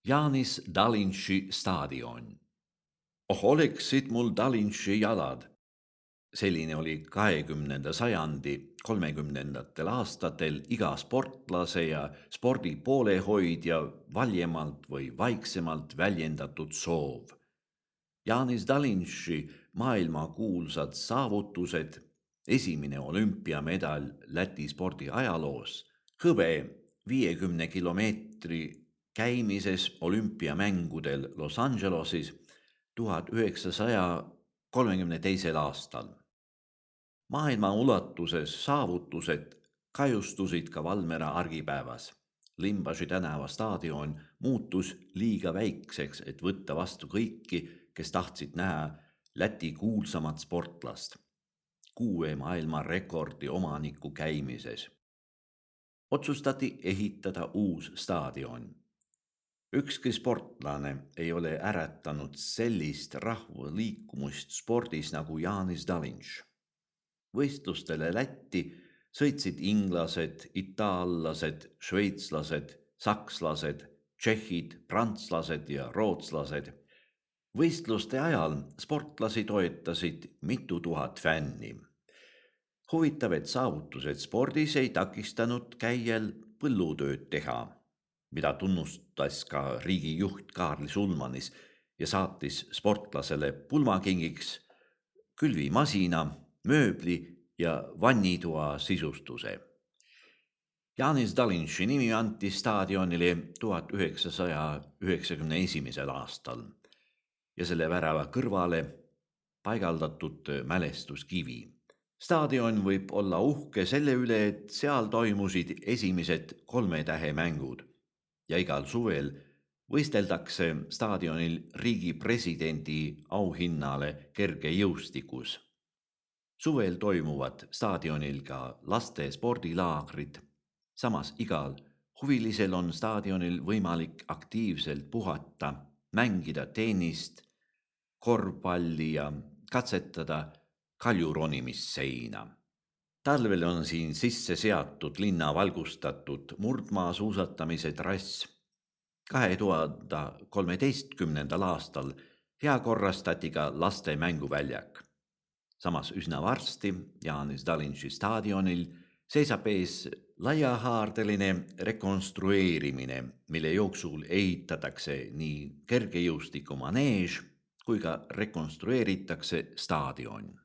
Jānis Dalinši staadion. Oh, oleksid mul Dalinši jalad. Selline oli 20. sajandi 30. aastatel iga sportlase ja spordi poolehoidja valjemalt või vaiksemalt väljendatud soov. Jānis Dalinši maailmakuulsad saavutused, esimene olümpiamedal Läti spordi ajaloos, hõbe 50 kilomeetri käimises olümpiamängudel Los Angeleses 1932. aastal. Maailma ulatuses saavutused kajustusid ka Valmiera argipäevas. Limbaži tänava staadion muutus liiga väikseks, et võtta vastu kõiki, kes tahtsid näha Läti kuulsamat sportlast, 6 maailmarekordi omaniku käimises. Otsustati ehitada uus staadion. Ükski sportlane ei ole äratanud sellist rahvaliikumust spordis nagu Jānis Dalinš. Võistlustele Lätti sõitsid inglased, itaallased, šveitslased, sakslased, tšehhid, prantslased ja rootslased. Võistluste ajal sportlasi toetasid mitu tuhat fänni. Huvitav, et saavutused spordis ei takistanud käijal põllutööd teha, mida tunnustas ka riigijuht Kaarli Sulmanis ja saatis sportlasele pulmakingiks külvimasina, mööbli ja vannitoa sisustuse. Jānis Dalinši nimi anti staadionile 1991. aastal ja selle värava kõrvale paigaldatud mälestuskivi. Staadion võib olla uhke selle üle, et seal toimusid esimesed 3 tähe mängud ja igal suvel võisteldakse staadionil riigi presidendi auhinnale kergejõustikus. Suvel toimuvad staadionil ka laste spordilaagrid. Samas igal huvilisel on staadionil võimalik aktiivselt puhata, mängida tennist, korvpalli ja katsetada kaljuronimissseina. Talvel on siin sisse seatud linna valgustatud murdmaasuusatamise trass. 2013. aastal heakorrastati ka laste mänguväljak. Samas üsna varsti Jānis Dalinši staadionil seisab ees laiahaardeline rekonstrueerimine, mille jooksul ehitatakse nii kergejõustikumaneež kui ka rekonstrueeritakse staadion.